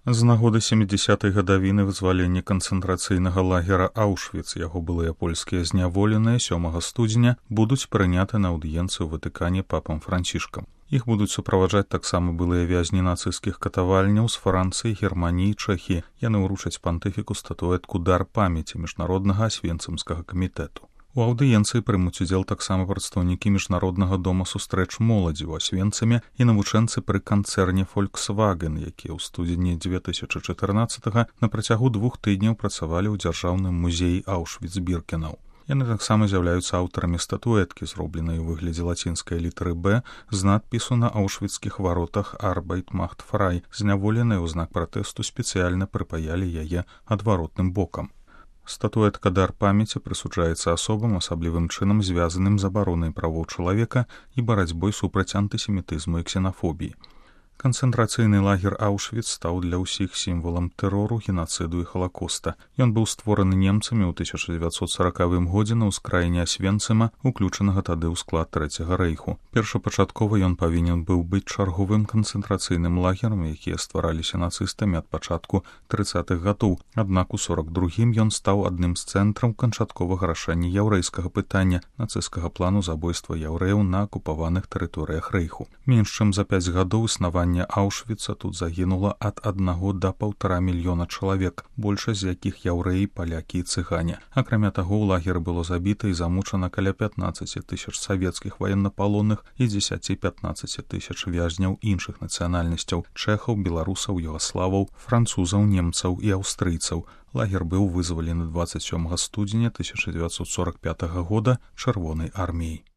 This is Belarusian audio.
З нагоды 70-й гадавіны вызвалення канцэнтрацыйнага лагера Аўшвіц яго былыя польскія зняволеныя 7 студзеня будуць прыняты на аўдыенцыю ў Ватыкане папам Францішкам. Іх будуць суправаджаць таксама былыя вязні нацысцкіх катавальняў з Францыі, Германіі, Чэхіі. Яны ўручаць пантыфіку статуэтку «Дар памяці» міжнароднага асвенцымскага камітэту. У аўдыенцыі прымуць удзел таксама прадстаўнікі міжнароднага дома сустрэч моладзі ў Асвенцыме і навучэнцы пры канцэрне «Фольксваген», якія ў студзені 2014 на працягу 2 тыдняў працавалі ў дзяржаўным музеі Аўшвіц-Біркенаў. Яны таксама з'яўляюцца аўтарамі статуэткі, зробленай у выглядзе лацінскай літары «Б» з надпісу на аўшвіцкіх варотах «Arbeit macht frei». Зняволеныя ў знак пратэсту спецыяльна прыпаялі яе адваротным бокам. Статуэтка «Дар памяці» прысуджаецца асобам, асаблівым чынам звязаным з абаронай правоў чалавека і барацьбой супраць антысемітызму і ксенафобіі. Канцэнтрацыйны лагер Аўшвіц стаў для ўсіх сімвалам тэрору, генацыду і халакоста. Ён быў створаны немцамі ў 1940 годзе на ўскраіне Асвенцыма, уключанага тады ў склад Трэцяга рэйху. Першапачаткова ён павінен быў быць чарговым канцэнтрацыйным лагерам, якія ствараліся нацыстамі ад пачатку 30-х гадоў. Аднак у 42-м ён стаў адным з цэнтраў канчатковага рашэння яўрэйскага пытання, нацысцкага плану забойства яўрэяў на акупаваных тэрыторыях рэйху. Менш чым за 5 гадоў існавання Аўшвіца тут загінула ад 1 до 1,5 мільёна чалавек, большасць з якіх яўрэі, палякі і цыгане. Акрамя таго, у лагеры было забіта і замучана каля 15 тысяч савецкіх ваеннапалонных і 10-15 тысяч вязняў іншых нацыянальнасцяў – чэхаў, беларусаў, югаславаў, французаў, немцаў і аўстрыйцаў. Лагер быў вызвалены 27 студзеня 1945 года Чырвонай арміяй.